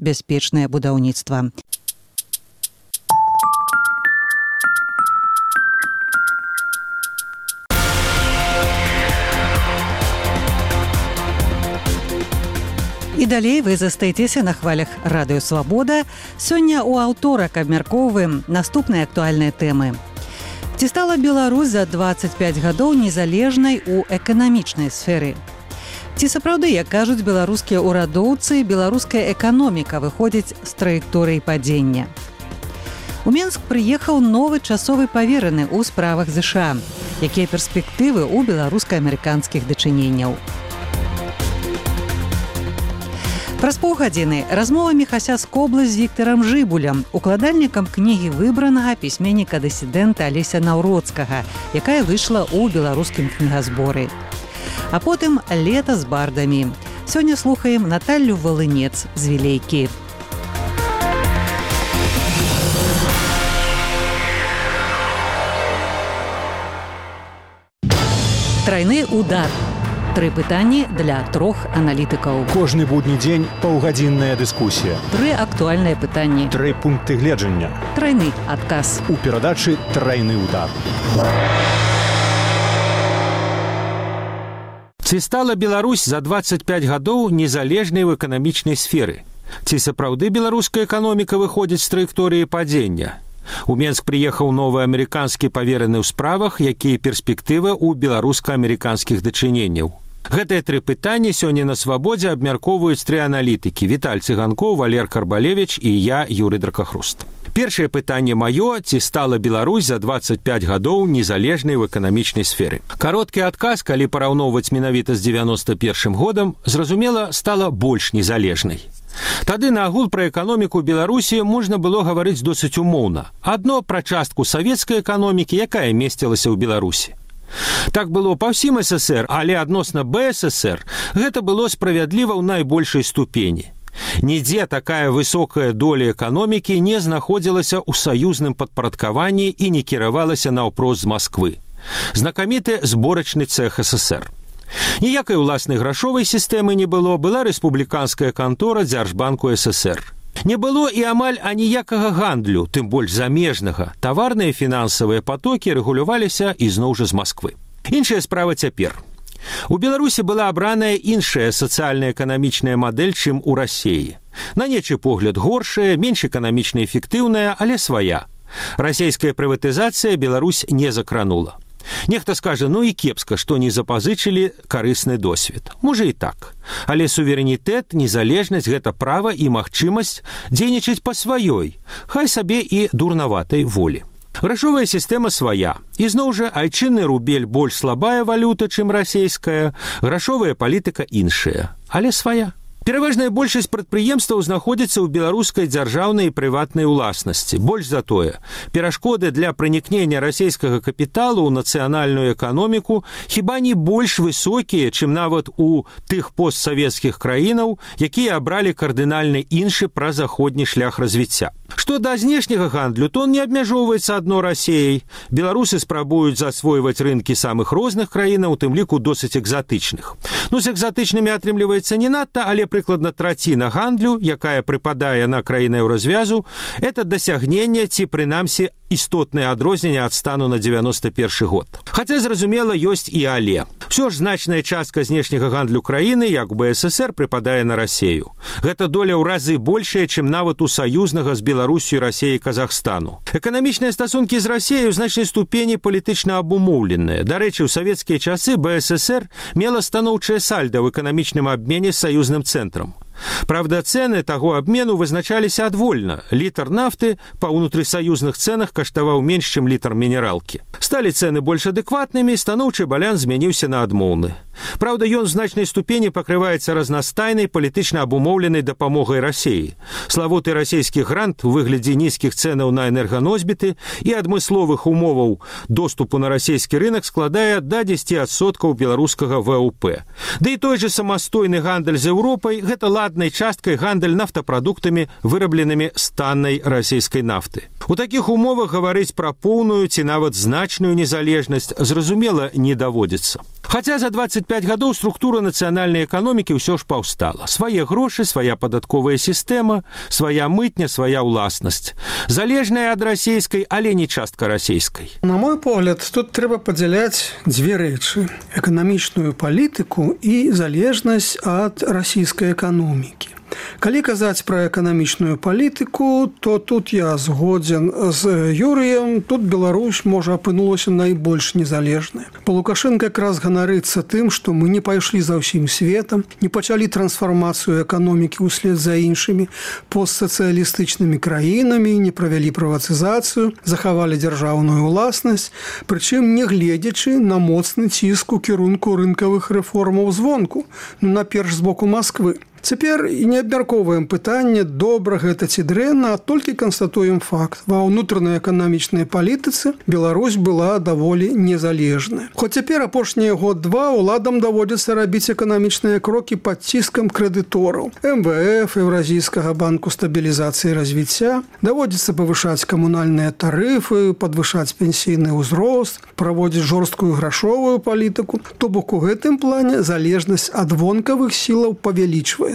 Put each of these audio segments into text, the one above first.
бяспечнае будаўніцтва. І далей вы застаецеся на хвалях Радыё Свабода. Сёння ў аўторак абмяркоўваем наступныя актуальныя тэмы. Ці стала Беларусь за 25 гадоў незалежнай у эканамічнай сферы? Ці сапраўды, як кажуць беларускія ўрадоўцы, беларуская эканоміка выходзіць з траекторыі падзення? У Менск прыехаў новы часовы павераны ў справах ЗША. Якія перспектывы ў беларуска-амерыканскіх дачыненняў? Праз паўгадзіны размова Міхася Скобла з Віктарам Жыбулем, укладальнікам кнігі выбранага пісьменніка-дысідэнта Алеся Наўроцкага, якая выйшла ў беларускім кнігазборы. А потым лета з бардамі. Сёння слухаем Наталлю Волынец з Вілейкі. Трайны удар. 3 пытанні для 3 аналітыкаў. Кожны будні дзень паўгадзінная дыскусія. 3 актуальныя пытанні. 3 пункты гледжання. Трайны адказ. У перадачы «Трайны удар». Ці стала Беларусь за 25 гадоў незалежнай ў эканамічнай сферы? Ці сапраўды беларуская эканоміка выходзіць з траекторыі падзення? У Менск прыехаў новы амерыканскі павераны ў справах, якія перспектывы ў беларуска-амерыканскіх дачыненняў. Гэтыя 3 пытанні сёння на Свабодзе абмяркоўваюць 3 аналітыкі: Віталь Цыганкоў, Валер Карбалевіч і я, Юрый Дракахруст. Першае пытанне маё: ці стала Беларусь за 25 гадоў незалежнай у эканамічнай сферы? Кароткі адказ, калі параўноўваць менавіта з 91 годам, зразумела, стала больш незалежнай. Тады на агул пра эканоміку Беларусі можна было гаварыць досыць умоўна. Адно пра частку савецкай эканомікі, якая месцілася ў Беларусі. Так было па ўсім ССР, але адносна БССР гэта было справядліва ў найбольшай ступені. Нідзе такая высокая доля эканомікі не знаходзілася ў саюзным падпарадкаванні і не кіравалася наўпрост з Масквы. Знакаміты зборачны цэх ССР. Ніякай уласнай грашовай сістэмы не было, была рэспубліканская кантора Дзяржбанку ССР. Не было і амаль аніякага гандлю, тым больш замежнага. Таварныя і фінансавыя патокі рэгуляваліся ізноў жа з Масквы. Іншая справа цяпер. У Беларусі была абраная іншая сацыяльна-эканамічная мадэль, чым у Расіі. На нечы погляд горшая, менш эканамічна эфектыўная, але свая. Расійская прыватызацыя Беларусь не закранула. Нехта скажа, ну і кепска, што не запазычылі карысны досвед. Можа і так. Але суверэнітэт, незалежнасць – гэта права і магчымасць дзейнічаць па сваёй, хай сабе і дурнаватай волі. Грашовая сістэма свая. Ізноў жа айчынны рубель больш слабая валюта, чым расійская, грашовая палітыка іншая, але свая. Пераважная большасць прадпрыемстваў знаходзіцца ў беларускай дзяржаўнай і прыватнай уласнасці. Больш за тое, перашкоды для пранікнення расійскага капіталу ў нацыянальную эканоміку хіба не больш высокія, чым нават у тых постсавецкіх краінаў, якія абралі кардынальна іншы празаходні шлях развіцця. Што да знешняга гандлю, то он не абмяжоўваецца адно Расіяй. Беларусы спрабуюць засвойваць рынкі самых розных краінаў, у тым ліку досыць экзатычных. Ну, з экзатычнымі атрымліваецца не надта, але прыкладна траціна гандлю, якая прыпадае на краіны Еўразвязу, это дасягненне ці, прынамсі, істотнае адрозненне ад стану на 91 год. Хаця, зразумела, ёсць і але. Усё ж значная частка знешняга гандлю краіны, як у БССР, прыпадае на Расію. Гэта доля ў разы большая, чым нават у саюзнага з Беларусью, Расіяй і Казахстану. Эканамічныя стасункі з Расіяй у значнай ступені палітычна абумоўленыя. Дарэчы, у савецкія часы БССР мела станоўчае сальда ў эканамічным абмене з саюзным цэнтрам. Правда, цэны таго абмену вызначаліся адвольна. Літр нафты па ўнутрысаюзных цэнах каштаваў менш, чым літр мінералкі. Сталі цэны больш адэкватнымі, станоўчы баланс змяніўся на адмоўны. Правда, ён у значнай ступені пакрываецца разнастайнай палітычна абумоўленай дапамогай Расіі. Славуты расійскі грант у выглядзе нізкіх цэнаў на энерганосьбіты і адмысловых умоваў доступу на расійскі рынак складае да 10% беларускага ВВП. Да і той жа самастойны гандаль з Еўропай – гэта ладнай часткай гандаль нафтапрадуктамі, вырабленымі з таннай расійскай нафты. У такіх умовах гаварыць пра поўную ці нават значную незалежнасць, зразумела, не даводзіцца. Хаця за 25 25 гадоў структура нацыянальнай эканомікі ўсё ж паўстала. Свае грошы, свая падатковая сістэма, свая мытня, свая ўласнасць. Залежная ад расійскай, але не частка расійскай. На мой погляд, тут трэба падзяляць дзве рэчы: эканамічную палітыку і залежнасць ад расійскай эканомікі. Калі казаць пра эканамічную палітыку, то тут я згодзен з Юрыем. Тут Беларусь, можа, апынулася найбольш незалежнай. Лукашенко якраз ганарыцца тым, што мы не пайшлі за ўсім светам, не пачалі трансфармацыю эканомікі ўслед за іншымі постсацыялістычнымі краінамі, не правялі прыватызацыю, захавалі дзяржаўную ўласнасць, прычым не гледзячы на моцны ціск у кірунку рынкавых рэформаў звонку, наперш з боку Масквы. Цяпер не абмяркоўваем пытанне, добра гэта ці дрэнна, а толькі канстатуем факт. Ва ўнутранай эканамічнай палітыцы Беларусь была даволі незалежная. Хоць цяпер апошнія год-два уладам даводзіцца рабіць эканамічныя крокі пад ціскам крэдытораў. МВФ, Еўразійскага банку стабілізацыі і развіцця, даводзіцца павышаць камунальныя тарыфы, падвышаць пенсійны ўзрост, праводзіць жорсткую грашовую палітыку. То бок у гэтым плане залежнасць ад вонкавых сілаў павялічвае,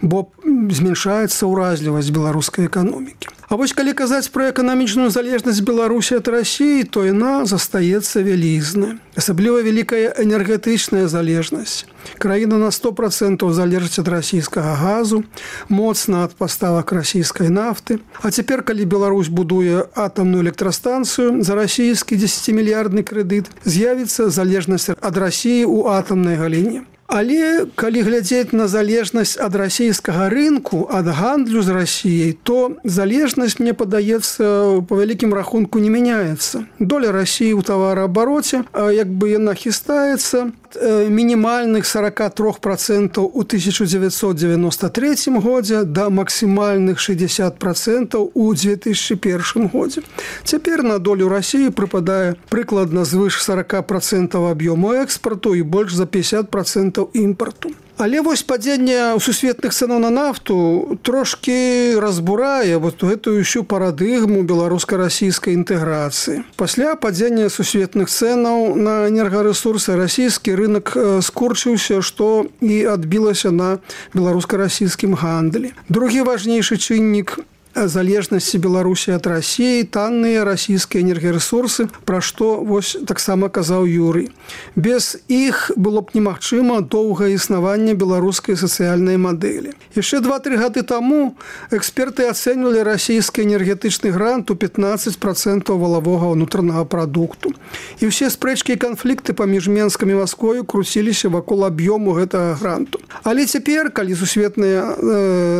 бо зменшаецца ўразлівасць беларускай эканомікі. А вось калі казаць пра эканамічную залежнасць Беларусі ад Расіі, то яна застаецца вялізная. Асабліва вялікая энергетычная залежнасць. Краіна на 100% залежыць ад расійскага газу, моцна ад паставак расійскай нафты. А цяпер, калі Беларусь будуе атамную электрастанцыю за расійскі 10-мільярдны крэдыт, з'явіцца залежнасць ад Расіі ў атамнай галіне. Але калі глядзець на залежнасць ад расійскага рынку, ад гандлю з Расіяй, то залежнасць, мне падаецца, па вялікім рахунку не мяняецца. Доля Расіі ў тавараабароце, як бы яна хістаецца, мінімальных 43% у 1993 годзе да максімальных 60% у 2001 годзе. Цяпер на долю Расіі прыпадае прыкладна звыш 40% аб'ёму экспарту і больш за 50% імпарту. Але вось падзенне сусветных цэнаў на нафту трошкі разбурае вот гэтую ўсю парадыгму беларуска-расійскай інтэграцыі. Пасля падзення сусветных цэнаў на энергарэсурсы расійскі рынок скурчыўся, што і адбілася на беларуска-расійскім гандлі. Другі важнейшы чыннік залежнасці Беларусі ад Расіі, танныя расійскія энергарэсурсы, пра што вось таксама казаў Юрый. Без іх было б немагчыма доўгае існаванне беларускай сацыяльнай мадэлі. Яшчэ 2-3 гады таму эксперты ацэньвалі расійскі энергетычны грант у 15% валавога ўнутранага прадукту. І ўсе спрэчкі і канфлікты паміж Менскам і Масквою круціліся вакол аб'ёму гэтага гранту. Але цяпер, калі сусветныя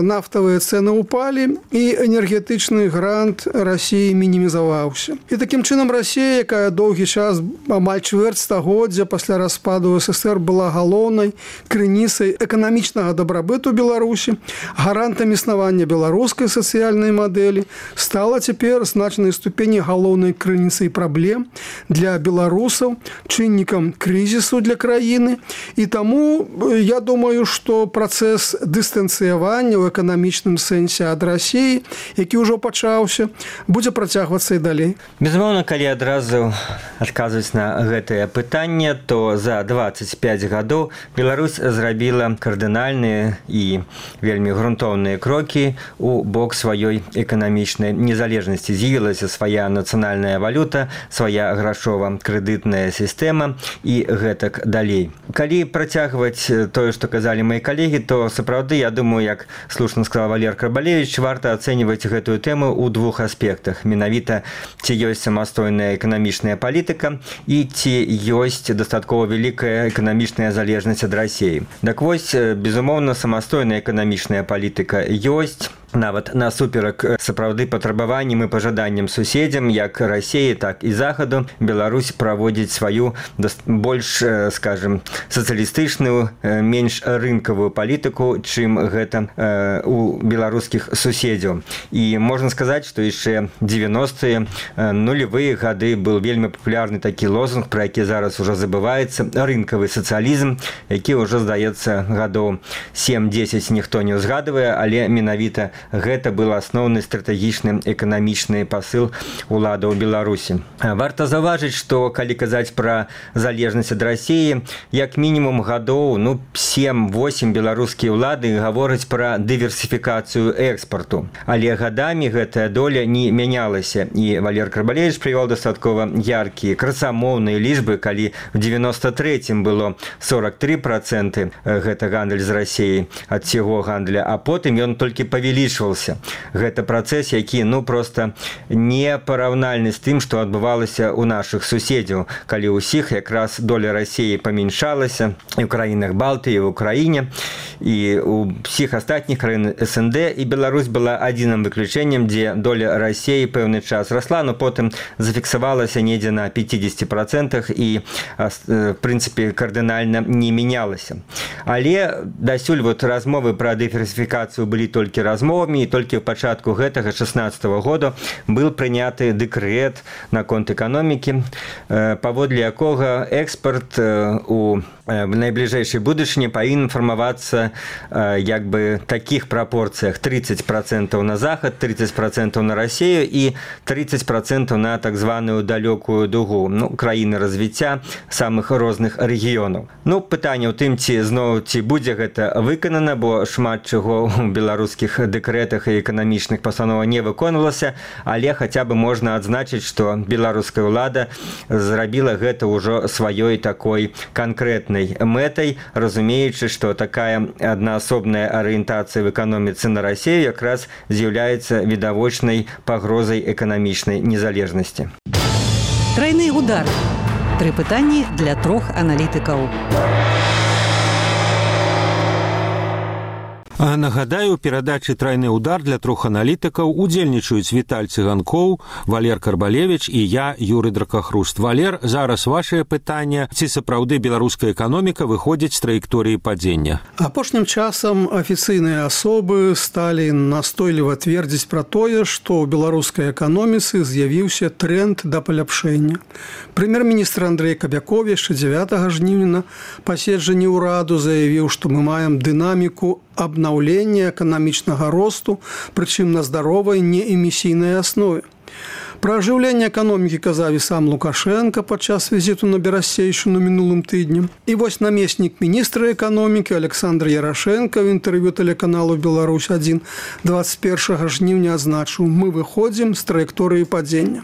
нафтавыя цэны ўпалі, і энергетычны грант Расіі мінімізаваўся. І такім чынам Расія, якая доўгі час, амаль чвэрць стагоддзя пасля распаду СССР была галоўнай крыніцай эканамічнага дабрабыту Беларусі, гарантам існавання беларускай сацыяльнай мадэлі, стала цяпер значнай ступені галоўнай крыніцай праблем для беларусаў, чыннікам крызісу для краіны. І таму я думаю, што працэс дыстанцыявання ў эканамічным сэнсе ад Расіі, які ўжо пачаўся, будзе працягвацца і далей. Безумоўна, калі адразу адказваць на гэтае пытанне, то за 25 гадоў Беларусь зрабіла кардынальныя і вельмі грунтоўныя крокі у бок сваёй эканамічнай незалежнасці. З'явілася свая нацыянальная валюта, свая грашова-крэдытная сістэма і гэтак далей. Калі працягваць тое, што казалі мои калегі, то сапраўды, я думаю, як слушна сказал Валер Карбалевич, варта ацэньваць гэтую тэму ў двух аспектах. Менавіта, ці ёсць самастойная эканамічная палітыка і ці ёсць дастаткова вялікая эканамічная залежнасць ад Расіі. Так вось, безумоўна, самастойная эканамічная палітыка ёсць, нават насуперак сапраўды патрабаванням і пажаданням суседзям, як Расіі, так і Захаду, Беларусь праводзіць сваю больш, скажем, сацыялістычную, менш рынкавую палітыку, чым гэта у беларускіх суседзяў. І можна сказаць, што яшчэ 90-е, нулевыя гады был вельмі папулярны такі лозунг, пра які зараз ужо забываецца, рынкавы сацыялізм, які ўжо, здаецца, гадоў 7-10 ніхто не ўзгадвае, але менавіта гэта был асноўны стратэгічны эканамічны пасыл уладаў Беларусі. Варта заўважыць, што калі казаць пра залежнасць ад Расіі, як мінімум гадоў 7-8 беларускія ўлады гавораць пра дыверсіфікацыю экспарту. Але гадамі гэтая доля не мянялася. І Валер Карбалевіч прывёў дастаткова яркія красамоўныя лічбы, калі в 93-м было 43% гэта гандаль з Расіяй ад всего гандля, а потым ён толькі павялічваўся. Гэта працэс, які проста не параўнальны з тым, што адбывалася ў нашых суседзяў, калі ўсіх якраз доля Расіі памяншалася і ў краінах Балтыі, і ў Украіне, і ў всіх астатніх краін СНД, і Беларусь была адзіным выключэннем, дзе доля Расіі пэўны час расла, но потым зафіксавалася недзе на 50% і, в прынцыпе, кардынальна не мянялася. Але дасюль размовы пра дыверсіфікацыю былі толькі размовамі, і толькі ў пачатку гэтага 16-го года быў прыняты дэкрэт наконт эканомікі, паводле якога экспарт у найбліжэйшай будучыні павінен фармавацца як бы такіх прапорцыях: 30% на захад, 30% на Расію і 30% на так званую далёкую дугу, краіны развіцця самых розных рэгіёнаў. Пытанне ў тым, ці будзе гэта выканана, бо шмат чаго ў беларускіх дэкрэтах і эканамічных пастановах не выконвалася, але хаця бы можна адзначыць, што беларуская ўлада зрабіла гэта ўжо сваёй такой канкрэтнай мэтай, разумеючы, што такая аднаасобная арыентацыя в эканоміцы на Расію якраз з'яўляецца відавочнай пагрозай эканамічнай незалежнасці. Трайны удар. 3 пытанні для 3 аналітыкаў. Нагадаю, у перадачы «Трайны удар» для 3 аналітыкаў удзельнічаюць Віталь Цыганкоў, Валер Карбалевіч і я, Юрый Дракахруст. Валер, зараз вашее пытанне: ці сапраўды беларуская эканоміка выходзіць з траекторыі падзення? Апошнім часам афіцыйныя асобы сталі настойліва твердзіць пра тое, што ў беларускай эканоміцы з'явіўся тренд да паляпшэння. Прэм'ер-міністр Андрэй Кабяков яшчэ 9 жніўня на паседжанні ўраду заявіў, што мы маем дынаміку обновления экономичного росту, причем на здоровой неэмісійнай основе. Про оживление экономики казав і сам Лукашенко падчас визиту на Берасейшину минулым тыднем. И вось наместник министра экономики Александр Ярошенко в интервью телеканалу «Беларусь-1» 21 жніўня адзначыў: мы выходим с траектории падения.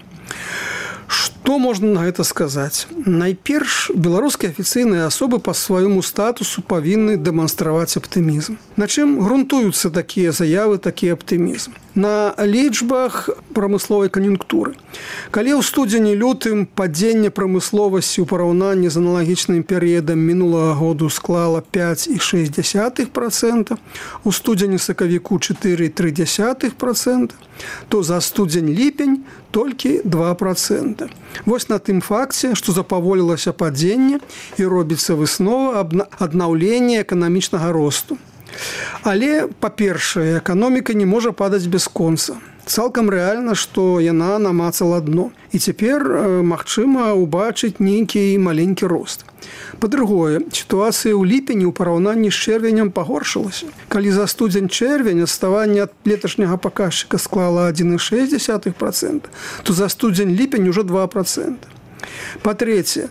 Што можна на гэта сказаць? Найперш, беларускія афіцыйныя асобы па свайму статусу павінны дэманстраваць аптымізм. На чым грунтуюцца такія заявы, такі аптымізм? На лічбах прамысловай кан'юнктуры. Калі ў студзені-лютым падзенне прамысловасці ў параўнанні з аналагічным перыядам мінулага году склала 5,6%, у студзені-сакавіку 4,3%, то за студзень-ліпень толькі 2%. Вось на тым факце, што запаволілася падзенне і робіцца выснова аднаўлення эканамічнага росту. Але, па-першае, эканоміка не можа падаць бясконца. Цалкам рэальна, што яна намацала дно. І цяпер магчыма ўбачыць нейкі маленькі рост. Па-другое, сітуацыя ў ліпені ў параўнанні з чэрвенем пагоршылася. Калі за студзень-чэрвень адставанне ад леташняга паказчыка склала 1,6%, то за студзень-ліпень ужо 2%. Па-трэцяе,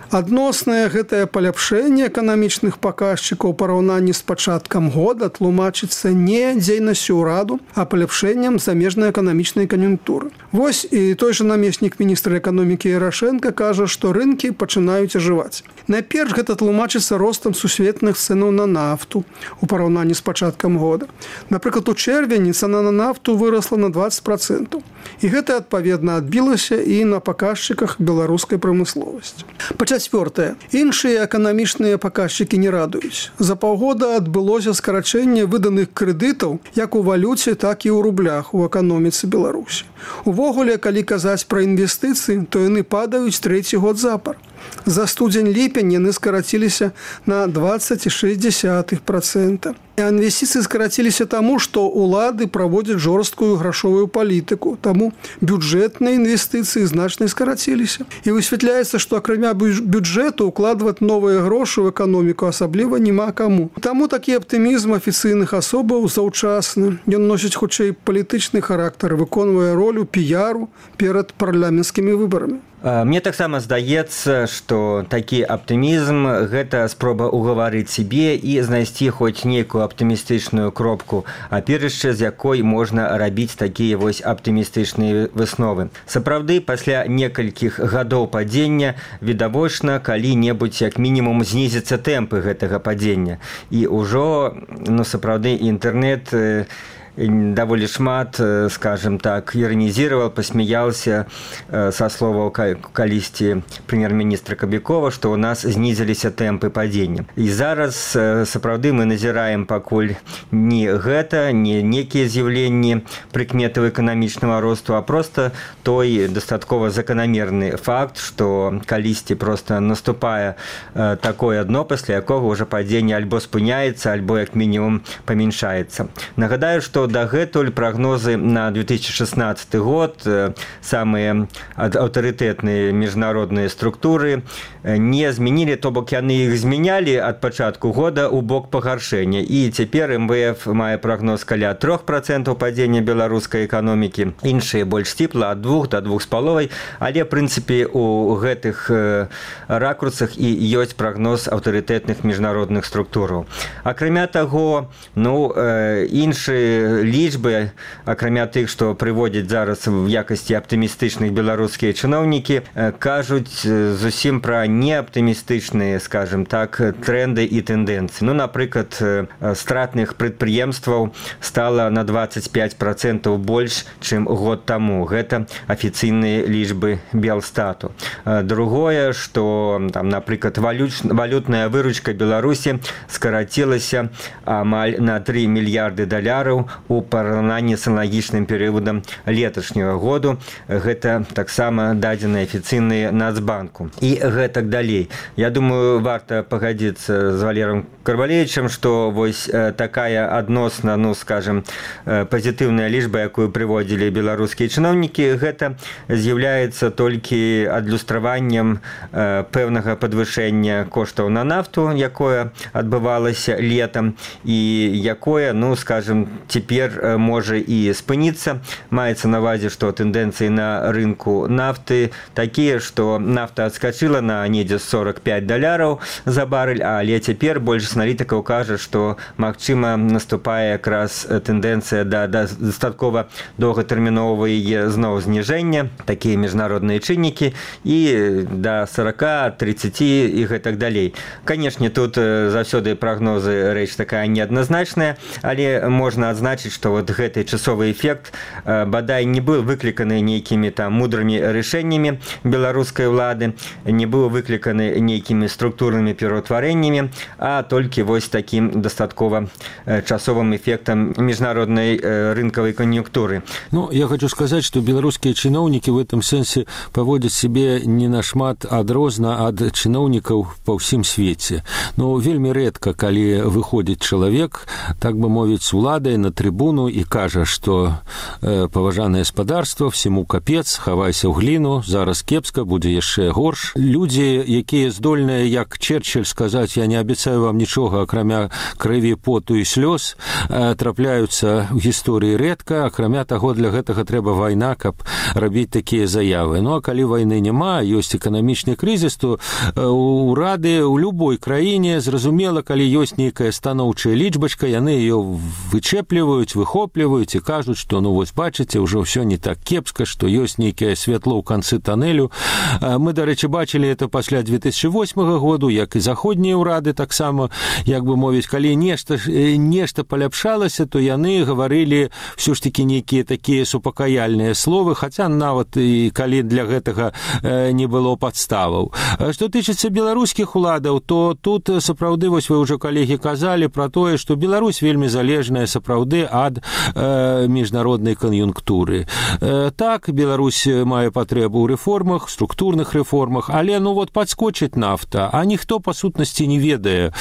адноснае гэтае паляпшэнне эканамічных паказчыкаў у параўнанні з пачаткам года тлумачыцца не дзейнасцю ўраду, а паляпшэннем замежнай эканамічнай кан'юнктуры. Вось і той жа намеснік міністра эканомікі Ярошенко кажа, што рынкі пачынаюць ажываць. Найперш гэта тлумачыцца ростам сусветных цэнаў на нафту у параўнанні з пачаткам года. Напрыклад, у чэрвені цана на нафту вырасла на 20%. І гэта адпаведна адбілася і на паказчыках беларускай прамысловасці. Па-чацвёртае, іншыя эканамічныя паказчыкі не радуюць. За паўгода адбылося скарачэнне выданых крэдытаў як у валюце, так і ў рублях у эканоміцы Беларусі. Увогуле, калі казаць пра інвестыцыі, то яны падаюць 3-й год запар. За студзень-ліпень яны скараціліся на 20,6%. Інвестыцыі скараціліся таму, што ўлады праводзяць жорсткую грашовую палітыку, таму бюджэтныя інвестыцыі значна скараціліся. І высвятляецца, што акрамя бюджэту укладваць новыя грошы ў эканоміку асабліва няма каму. Таму такі аптымізм афіцыйных асобаў заўчасны. Ён носіць хутчэй палітычны характар, выконвае ролю піяру перад парламенцкімі выбарамі. Мне таксама здаецца, што такі аптымізм – гэта спроба угаварыць сябе і знайсці хоць нейкую аптымістычную кропку, аперышча з якой можна рабіць такія вось аптымістычныя высновы. Сапраўды, пасля некалькіх гадоў падзення відавочна калі-небудзь як мінімум знізіцца тэмпы гэтага падзення. І ўжо, сапраўды, інтэрнэт даволі шмат, скажем так, іранізировал, посмеялся со словаў калісьці прэм'ер-міністра Кабікова, што ў нас знізіліся тэмпы падзення. І зараз сапраўды мы назіраем пакуль не гэта, не некія з'яўленні прыкметаў эканамічнага росту, а просто той дастаткова заканамерны факт, што калісьці просто наступае такое дно, пасля якога ўжо падзенне альбо спыняецца, альбо як мінімум памяншаецца. Нагадаю, што дагэтуль прагнозы на 2016 год самыя аўтарытэтныя міжнародныя структуры не змянілі, то бок яны іх змянялі ад пачатку года ў бок пагаршэння. І цяпер МВФ мае прагноз каля 3% падзення беларускай эканомікі, іншыя больш сціпла ад 2 до 2,5, але в прынцыпе у гэтых ракурсах і ёсць прагноз аўтарытэтных міжнародных структураў. Акрамя таго, іншыя лічбы, акрамя тых, што прыводзяць зараз в якасці аптымістычных беларускія чыноўнікі, кажуць зусім пра неаптымістычныя, скажем так, тренды і тэндэнцыі. Напрыклад, стратных прадпрыемстваў стала на 25% больш, чым год таму. Гэта афіцыйныя лічбы Белстату. Другое, што, напрыклад, валютная выручка Беларусі скарацілася амаль на 3 мільярды даляраў у параўнанні з аналагічным перыядам леташняга году. Гэта таксама дадзеныя афіцыйныя Нацбанку. І гэтак далей. Я думаю, варта пагадзіцца з Валером Карвалевічем, што вось такая адносна, скажем, пазітыўная лічба, якую прыводзілі беларускія чыноўнікі, гэта з'яўляецца толькі адлюстраваннем пэўнага падвышэння коштаў на нафту, якое адбывалася летам, і якое, скажем, цяпер можа і спыніцца. Маецца на ўвазе, што тэндэнцыі на рынку нафты такія, што нафта адскачыла на недзе $45 за барэль, але цяпер большасць аналітыкаў кажа, што магчыма наступае якраз тэндэнцыя да дастаткова доўгатэрміновага яе зноў зніжэння, такія міжнародныя чыннікі, і да 40, 30 і гэтак далей. Канешне, тут заўсёды прагнозы рэч такая неадназначная, але можна адзначыць, што вот гэты часовы эфект бадай не быў выкліканы нейкімі мудрымі рашэннямі беларускай улады, не быў выкліканы нейкімі структурнымі пераўтварэннямі, а толькі вось такім дастаткова часовым эфектам міжнароднай рынкавай кан'юнктуры. Я хочу сказаць, што беларускія чыноўнікі в этом сэнсе паводзяць сябе не нашмат адрозна ад чыноўнікаў па ўсім свеце. Вельмі рэдка, калі выходзіць чалавек, так бы мовіць, з уладай на трыбуну і кажа, што паважанае гаспадарства, всему капец, хавайся ў гліну, зараз кепска, будзе яшчэ горш. Людзі, якія здольныя, як Черчилль, сказаць, я не абяцаю вам нічога, акрамя крыві, поту і слёз, трапляюцца ў гісторыі рэдка, акрамя таго, для гэтага трэба вайна, каб рабіць такія заявы. А калі вайны няма, ёсць эканамічны крызіс, то урады ў любой краіне, зразумела, калі ёсць нейкая станоўчая лічбачка, яны ее вычэпліваюць, выхопліваюць і кажуць, што, вось бачыце, ўжо ўсё не так кепска, што ёсць нейкае святло ў канцы тоннелю. Мы, дарэчы, бачылі это пасля 2008 году, як і заходнія ўрады таксама, як бы мовіць, калі нешта паляпшалася, то яны гаварылі ўсё ж такі нейкія такія супакаяльныя словы, хаця нават і калі для гэтага не было падставаў. Што тычыцца беларускіх уладаў, то тут сапраўды, вось вы ўжо, калегі, казалі пра тое, што Беларусь вельмі залежная сапраўды ад міжнароднай кан'юнктуры. Так, Беларусь мае патрэбу ў рэформах, структурных рэформах, але падскочыць нафта, а ніхто па сутнасці не ведае,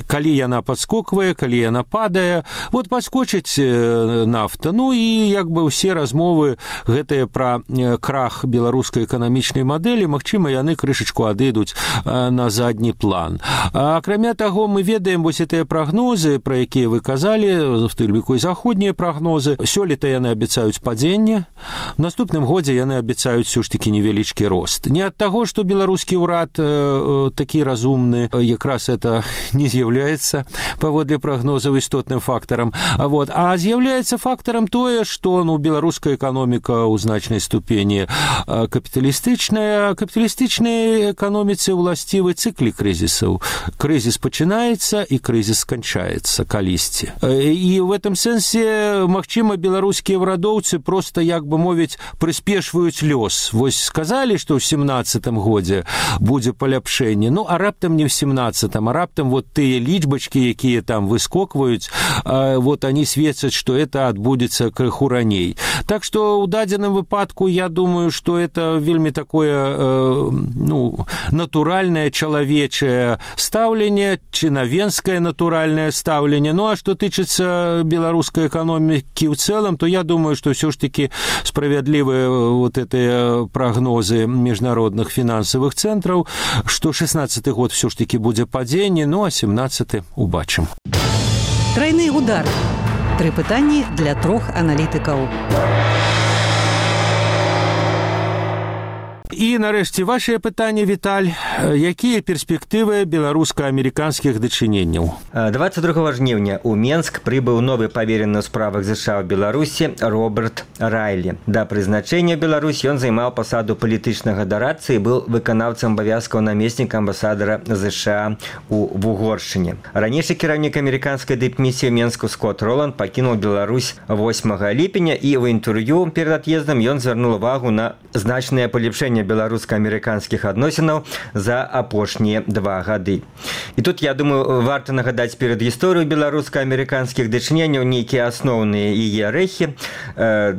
калі яна падскоквае, калі яна падае. Падскочыць нафта. І як бы ўсе размовы гэтыя пра крах беларускай эканамічнай мадэлі, магчыма, яны крышачку адыдуць на задні план. Акрамя таго, мы ведаем гэтыя прагнозы, пра якія вы казалі, в тым ліку і заходнія прагнозы. Сёлета яны абяцаюць падзенне, в наступным годзе яны абяцаюць ўсё ж такі невялічкі рост. Не ад таго, што беларускі ўрад такі разумны, якраз это не з'яўляецца паводле прагнозаў істотным фактарам, а з'яўляецца фактарам тое, што беларуская эканоміка ў значнай ступені капіталістычная. Капіталістычнай эканоміцы ўласцівы цыклі крызісаў. Крызіс пачынаецца і крызіс сканчаецца калісьці. І в этом сэнсе, магчыма, беларускія ўрадоўцы проста, як бы мовіць, прыспешваюць лёс. Сказалі, што ў 17-м годзе будзе паляпшэнне, а раптам не ў 17-м, а раптам тыя лічбачкі, якія там выскокваюць, они сведчаць, што это адбудзецца крыху раней. Так што ў дадзеным выпадку я думаю, што это вельмі такое натуральнае чалавечае стаўленне, чынавенскае натуральнае стаўленне. А што тычыцца беларускай эканомікі ў цэлым, то я думаю, што ўсё ж такі справядлівыя гэтыя прагнозы міжнародных фінансавых цэнтраў, што 16-й год ўсё ж такі будзе падзенне, а 17-й убачым. Трайны удар. 3 пытанні для 3 аналітыкаў. І, нарэшце, вашее пытанне, Віталь. Якія перспектывы беларуска-амерыканскіх дачыненняў? 22 жніўня ў Менск прыбыў новы паверены ў справах ЗША ў Беларусі Роберт Райлі. Да прызначэння Беларусі ён займаў пасаду палітычнага дарадцы і быў выканаўцам абавязкаў намесніка амбасадара ЗША ў Вугоршчыне. Ранейшы кіраўнік амерыканскай дыпмісіі ў Менску Скотт Роланд пакінуў Беларусь 8 ліпеня і ў інтэрв'ю перад ад'ездам ён звярнуў увагу на значнае палепшэнне беларуска-амерыканскіх адносінаў за апошнія 2 гады. І тут, я думаю, варта нагадаць перад гісторыю беларуска-амерыканскіх дачыненняў нейкія асноўныя яе рэхі.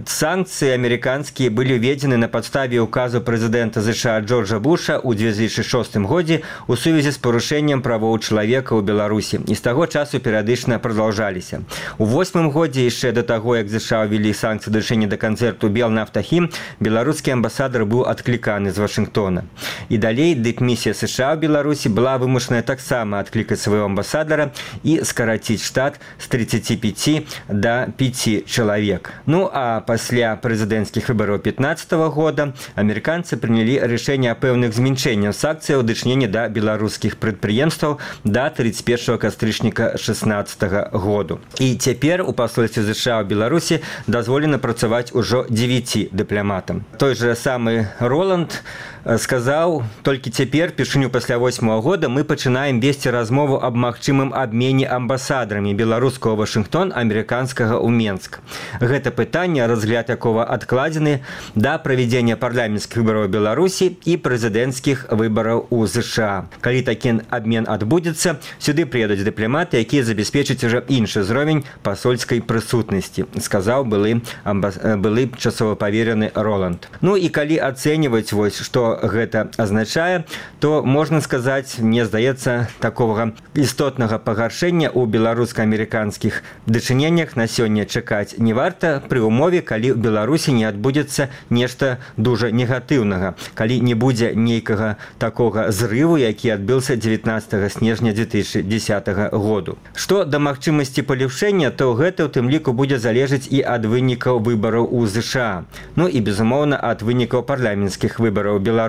Санкцыі амерыканскія былі ўведзены на падставе указу прэзідэнта ЗША Джорджа Буша ў 2006 годзе у сувязі з парушэннем правоў чалавека ў Беларусі. І з таго часу перыядычна прадаўжаліся. У 8 годзе, яшчэ да таго, як ЗША ўвялі санкцыі дачынення да канцэрту «Белнафтахім», беларускі амбасадар быў адкліканы з Вашынгтона. І далей дыпмісія США ў Беларусі была вымушаная таксама адклікаць свайго амбасадара і скараціць штат з 35 да 5 чалавек. А пасля прэзідэнцкіх выбараў 15-го года амерыканцы прынялі рашэнне о пэўных зменшэннях санкцыяў дачынення да беларускіх прадпрыемстваў да 31 кастрычніка 16 году. І цяпер у пасольстве США ў Беларусі дазволена працаваць ужо 9 дыпламатам. Той же самы Роланд сказаў, толькі цяпер, першыню пасля 8-го года, мы пачынаем весці размову аб магчымым абмене амбасадарамі беларускага Вашынгтон, амерыканскага ў Менск. Гэта пытанне, разгляд якога адкладзены да правядзення парламенцкіх выбараў Беларусі і прэзідэнцкіх выбараў у ЗША. Калі такі абмен адбудзецца, сюды прыедуць дыпламаты, якія забяспечаць ужо іншы ўзровень пасольскай прысутнасці, сказаў былы часова паверены Роланд. І калі ацэньваць што гэта азначае, то можна сказаць, мне здаецца, такога істотнага пагаршэння ў беларуска-амерыканскіх дачыненнях на сёння чакаць не варта пры ўмове, калі ў Беларусі не адбудзецца нешта дужа негатыўнага, калі не будзе нейкага такога зрыву, які адбыўся 19 снежня 2010 году. Што да магчымасці палепшэння, то гэта ў тым ліку будзе залежаць і ад вынікаў выбараў у ЗША, і, безумоўна, ад вынікаў парламенцкіх выбараў Беларусі.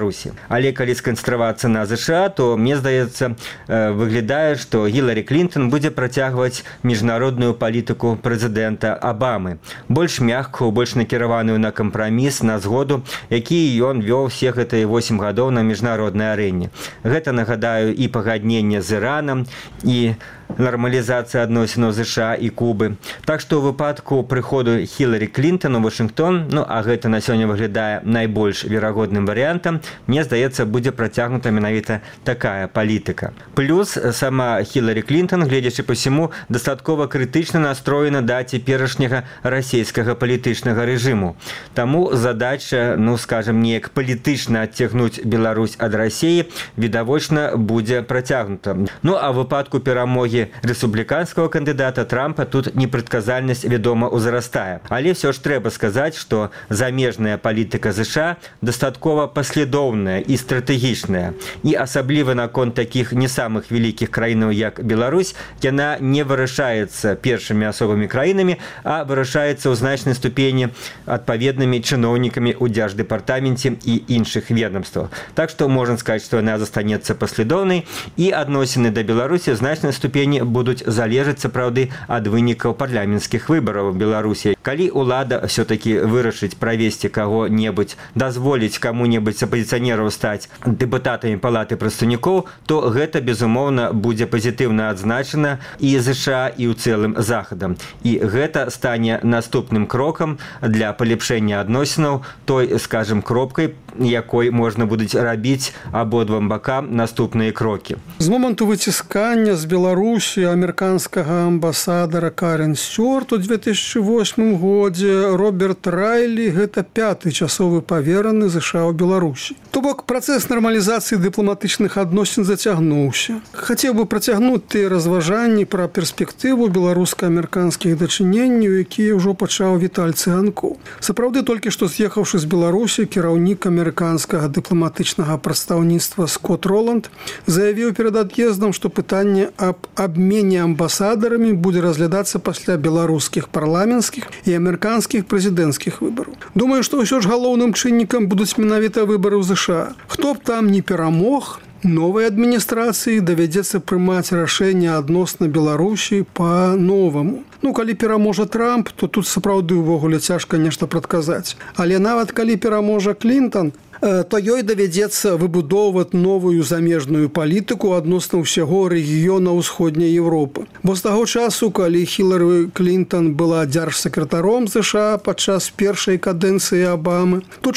Але калі сканцэнтравацца на ЗША, то, мне здаецца, выглядае, што Гіларі Клінтон будзе працягваць міжнародную палітыку прэзідэнта Абамы, больш мяккую, больш накіраваную на кампраміс, на згоду, які ён вёў усе гэтыя 8 гадоў на міжнароднай арэне. Гэта, нагадаю, і пагадненне з Іранам, і нармалізацыі адносінаў ЗША і Кубы. Так што ў выпадку прыходу Хіларі Клінтон у Вашынгтон, а гэта на сёння выглядае найбольш верагодным варыянтам, мне здаецца, будзе працягнута менавіта такая палітыка. Плюс сама Хіларі Клінтон, гледзячы па ўсяму, дастаткова крытычна настроена да цяперашняга расійскага палітычнага рэжыму. Таму задача, скажем, неяк палітычна адцягнуць Беларусь ад Расіі відавочна будзе працягнута. А ў выпадку перамогі рэспубліканскага кандыдата Трампа тут непрадказальнасць, вядома, узрастае. Але ўсё ж трэба сказаць, што замежная палітыка ЗША дастаткова паслядоўная і стратэгічная. І асабліва наконт такіх не самых вялікіх краінаў, як Беларусь, яна не вырашаецца першымі асобамі краінамі, а вырашаецца ў значнай ступені адпаведнымі чыноўнікамі ў Дзярждэпартаменце і іншых ведомствах. Так што можна сказаць, што яна застанецца паслядоўнай, і адносіны да Беларусі ў значнай ступені будуць залежаць, сапраўды, ад вынікаў парламенцкіх выбараў у Беларусі. Калі ўлада ўсё-такі вырашыць правесці каго-небудзь, дазволіць каму-небудзь з апазіцыянераў стаць дэпутатамі палаты прадстаўнікоў, то гэта, безумоўна, будзе пазітыўна адзначана і ЗША, і ў цэлым Захадам. І гэта стане наступным крокам для палепшэння адносінаў, той, скажем, кропкай, якой можна будуць рабіць абодвум бакам наступныя крокі. З моманту выціскання з Беларусі амерыканскага амбасадара Карен Стюарт у 2008 годзе Роберт Райлі – гэта 5-й часовы павераны ЗША ў Беларусі. То бок, працэс нармалізацыі дыпламатычных адносін зацягнуўся. Хацеў бы працягнуць тыя разважанні пра перспектыву беларуска-амерыканскіх дачыненняў, якія ўжо пачаў Віталь Цыганкоў. Сапраўды, толькі што з'ехаўшы з Беларусі, кіраўнік амерыканскага дыпламатычнага прадстаўніцтва Скотт Роланд заявіў перад ад'ездам, што пытанне аб абмене амбасадарамі будзе разглядацца пасля беларускіх парламенцкіх і амерыканскіх прэзідэнцкіх выбараў. Думаю, што ўсё ж галоўным чыннікам будуць менавіта выбары ў ЗША. Хто б там не перамог, новай адміністрацыі давядзецца прымаць рашэнне адносна Беларусі па-новаму. Калі пераможа Трамп, то тут сапраўды ўвогуле цяжка нешта прадказаць. Але нават калі пераможа Клінтон, то ёй давядзецца выбудоўваць новую замежную палітыку адносна ўсяго рэгіёна ўсходняй Еўропы. Бо з таго часу, калі Хіларі Клінтон была дзяржсакратаром ЗША падчас першай кадэнцыі Абамы, тут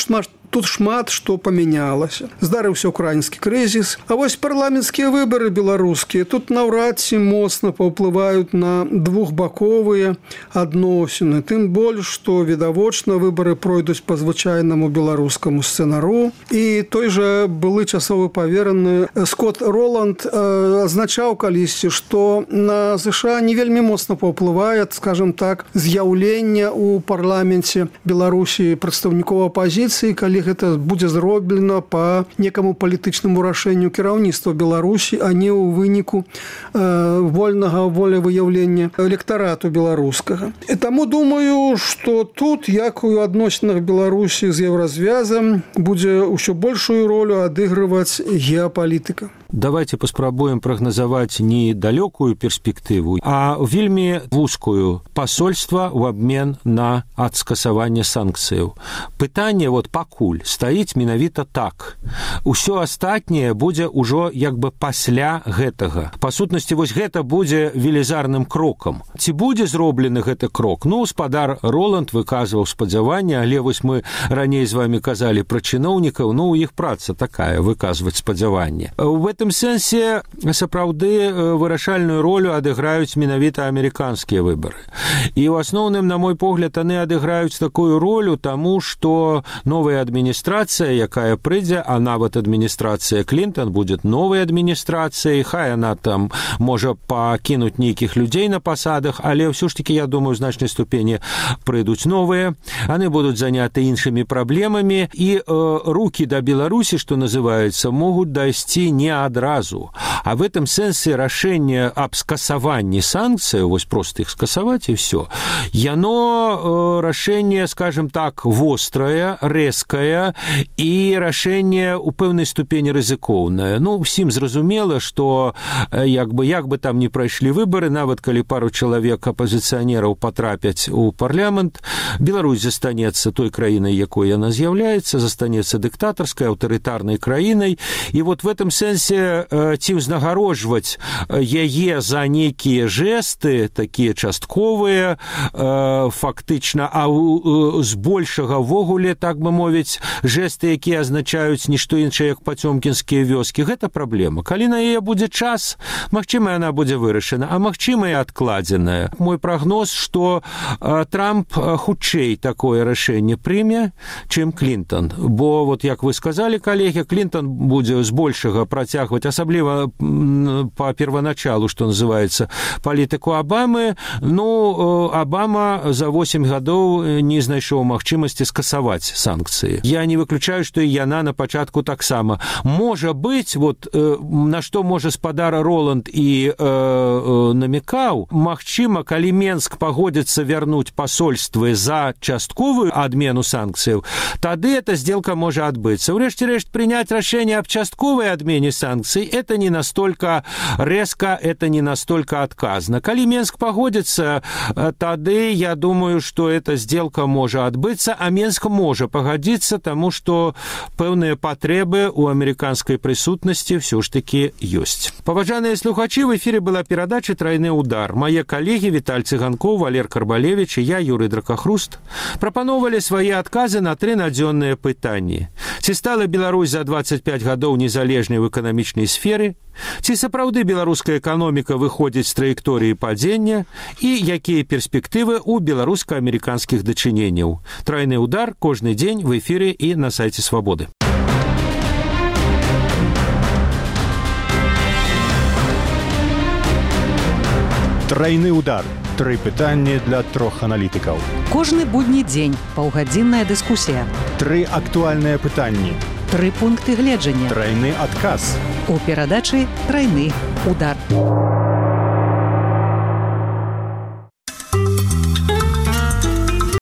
шмат што памянялася. Здарыўся ўкраінскі крызіс. А вось парламенцкія выбары беларускія тут наўрад ці моцна паўплываюць на двухбаковыя адносіны. Тым больш, што відавочна выбары пройдуць па звычайнаму беларускаму сцэнару. І той жа былы часовы павераны Скотт Роланд азначаў калісьці, што на ЗША не вельмі моцна паўплывае, скажем так, з'яўлення ў парламенце Беларусі прадстаўнікоў апазіцыі, калі гэта будзе зроблена па некаму палітычнаму рашэнню кіраўніцтва Беларусі, а не ў выніку вольнага волевыяўлення электарату беларускага. І таму думаю, што тут, як у адносінах Беларусі з Еўразвязам, будзе ўсё большую ролю адыгрываць геапалітыка. Давайте паспрабуем прагназаваць не далёкую перспектыву, а вельмі вузкую пасольства ў абмен на адскасаванне санкцыяў. Пытанне пакуль стаіць менавіта так. Усё астатняе будзе ўжо як бы пасля гэтага. Па сутнасці, гэта будзе велізарным крокам. Ці будзе зроблены гэты крок? Спадар Роланд выказваў спадзяванне, але мы раней з вами казалі пра чыноўнікаў, у іх праца такая, выказваць спадзяванне. В гэтым сэнсе сапраўды вырашальную ролю адыграюць менавіта амерыканскія выбары. І ў асноўным, на мой погляд, яны адыграюць такую ролю, таму што новая адміністрацыя, якая прыйдзе, а нават адміністрацыя Клінтон будзе новай адміністрацыяй, хай яна там можа пакінуць нейкіх людзей на пасадах, але ўсё ж такі, я думаю, у значнай ступені прыйдуць новыя, яны будуць заняты іншымі праблемамі, і рукі да Беларусі, што называецца, могуць дайсці не адразу. А в этом сэнсе рашэнне аб скасаванні санкцыяў, проста іх скасаваць і ўсё, яно рашэнне, скажем так, вострае, рэзкае і рашэнне у пэўнай ступені рызыкоўнае. Усім зразумела, што як бы там не прайшлі выбары, нават калі пару чалавек апазіцыянераў патрапяць у парламент, Беларусь застанецца той краінай, якой яна з'яўляецца, застанецца дыктатарскай, аўтарытарнай краінай. І в этом сэнсе будзе ці ўзнагароджваць яе за нейкія жэсты, такія частковыя, фактычна, а збольшага ввогуле, так бы мовіць, жэсты, якія азначаюць нішто іншае, як пацёмкінскія вёскі. Гэта праблема. Калі на яе будзе час, магчыма, яна будзе вырашана, а магчыма, і адкладзеная. Мой прагноз, што Трамп хутчэй такое рашэнне прыме, чым Клінтон. Бо, вот як вы сказалі, калегі, Клінтон будзе збольшага працягваць, асабліва па первоначалу, што называецца, палітыку Абамы. Ну, Абама за 8 гадоў не знайшоў магчымасці скасаваць санкцыі. Я не выключаю, што і яна на пачатку таксама. Можа быць, вот на што можа спадар Роланд і намекаў, магчыма, калі Менск пагодзіцца вярнуць пасольствы за частковую адмену санкцыяў, тады эта сделка можа адбыцца. Урэшце рэшт, принять решение об частковой отмене санкций – это не настолько резко, это не настолько отказно. Коли Минск погодится, тады, я думаю, что эта сделка может отбыться, а Минск может погодиться, тому что пэўныя патрэбы у американской присутности все ж таки есть. Паважаныя слухачы, в эфире была передача «Тройны удар». Мои коллеги Виталь Цыганков, Валер Карбалевич и я, Юрий Дракахруст, прапановали свои отказы на 3 надзённыя пытанні. Ці стала Беларусь за 25 гадоў незалежнай в эканамічнай сферы? Ці сапраўды беларуская эканоміка выходзіць з траекторыі падзення? І якія перспектывы ў беларуска-амерыканскіх дачыненняў? Тройны удар кожны дзень в эфире і на сайце Свабоды. Тройны удар. 3 пытанні для 3 аналітыкаў. Кожны будні дзень паўгадзінная дыскусія. 3 актуальныя пытанні. 3 пункты гледжання. Тройны адказ. У перадачы «Тройны удар».